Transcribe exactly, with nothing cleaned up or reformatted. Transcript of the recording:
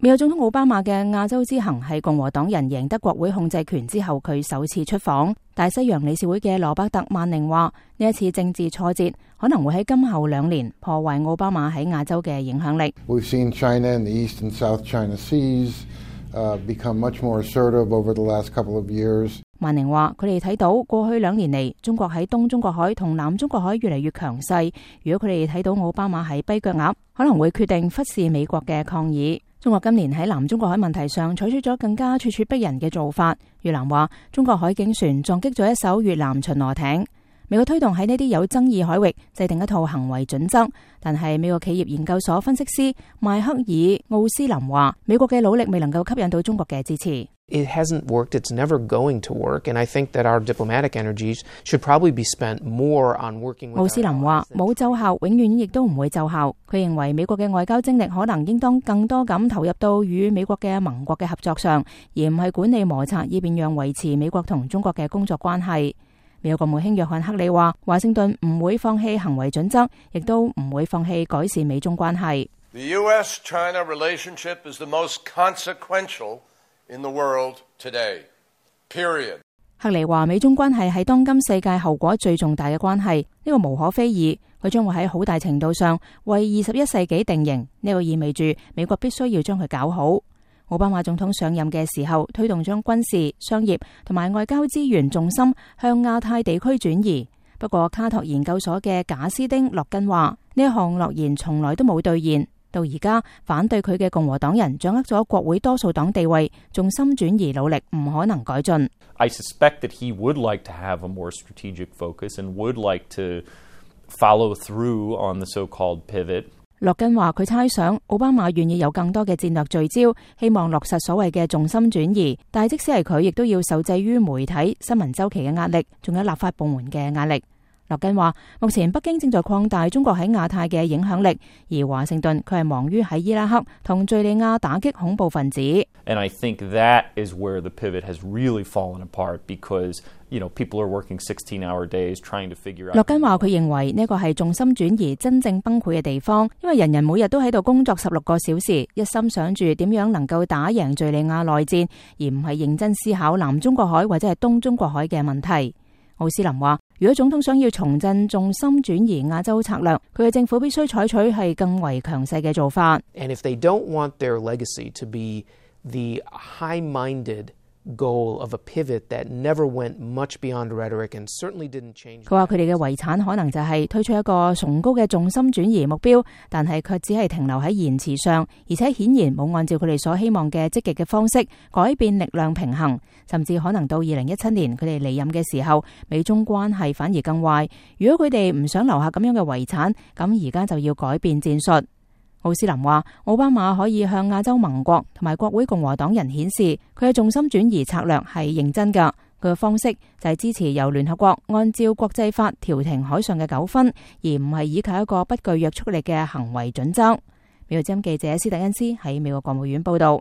美國總統奧巴馬嘅亞洲之行係共和黨人贏得國會控制權之後佢首次出訪。大西洋理事會嘅羅伯特曼寧話，呢一次政治挫折可能會喺今後兩年破壞奧巴馬喺亞洲嘅影響力。We've seen China and the East and South China Seas uh, become much more assertive over the last couple of years. 曼寧話，佢哋睇到過去兩年嚟，中國喺東中國海同南中國海越嚟越強勢。如果佢哋睇到奧巴馬係跛腳鴨，可能會決定忽視美國嘅抗議。中國今年喺南中國海問題上採取咗更加咄咄逼人嘅做法。越南話，中國海警船撞擊咗一艘越南巡邏艇。美國推動喺呢啲有爭議海域制定一套行為準則，但係美國企業研究所分析師邁克爾奧斯林話，美國嘅努力未能夠吸引到中國嘅支持。It hasn't worked. It's never going to work. And I think that our diplomatic energies should probably be spent more on working with. 奧斯林話，冇奏效，永遠亦都唔會奏效。佢認為美國嘅外交精力可能應當更多咁投入到與美國嘅盟國嘅合作上，而唔係管理摩擦，以便讓維持美國同中國嘅工作關係。美國國務卿約翰克里話，華盛頓唔會放棄行為準則，亦都唔會放棄改善美中關係。The U S China relationship is the most consequential in the world today. Period. 克里話，美中關係係當今世界後果最重大嘅關係，呢個無可非議。佢將會喺好大程度上為二十一世紀定型，呢個意味住美國必須要將佢搞好。奧巴馬總統上任嘅時候，推動將軍事、商業同埋外交資源重心向亞太地區轉移。不過，卡托研究所嘅賈斯丁諾根話，呢一項諾言從來都冇兌現。到而家，反對佢嘅共和黨人掌握咗國會多數黨地位，重心轉移努力唔可能改進。I suspect that he would like to have a more strategic focus and would like to follow through on the so-called pivot. 諾根話，佢猜想奧巴馬願意有更多嘅戰略聚焦，希望落實所謂嘅重心轉移，但係即使係佢，亦都要受制於媒體、新聞週期嘅壓力，仲有立法部門嘅壓力。諾根話，目前北京正在擴大中國喺亞太嘅影響力，而華盛頓佢係忙於喺伊拉克同敘利亞打擊恐怖分子。And I think that is where the pivot has really fallen apart because, you know, people are working sixteen-hour days trying to figure out. 諾根話，佢認為呢個係重心轉移真正崩潰嘅地方，因為人人每日都喺度工作十六個小時，一心想住點樣能夠打贏敘利亞內戰，而唔係認真思考南中國海或者係東中國海嘅問題。奧斯林話，如果總統想要重振重心轉移亞洲策略，佢嘅政府必須採取係更為強勢嘅做法。And if they don't want their legacy to be the high-minded goal of a pivot that never went much beyond rhetoric and certainly didn't change. 佢話佢哋嘅遺產可能就係推出一個崇高嘅重心轉移目標，但係卻只係停留喺言辭上，而且顯然冇按照佢哋所希望嘅積極嘅方式改變力量平衡，甚至可能到二零一七年佢哋離任嘅時候，美中關係反而更壞。如果佢哋唔想留下咁樣嘅遺產，咁而家就要改變戰術。奧斯林話，奧巴馬可以向亞洲盟國同埋國會共和黨人顯示佢嘅重心轉移策略係認真㗎。佢嘅方式就係支持由聯合國按照國際法調停海上嘅糾紛，而唔係依靠一個不具約束力嘅行為準則。美國之音記者施特恩斯喺美國國務院報道。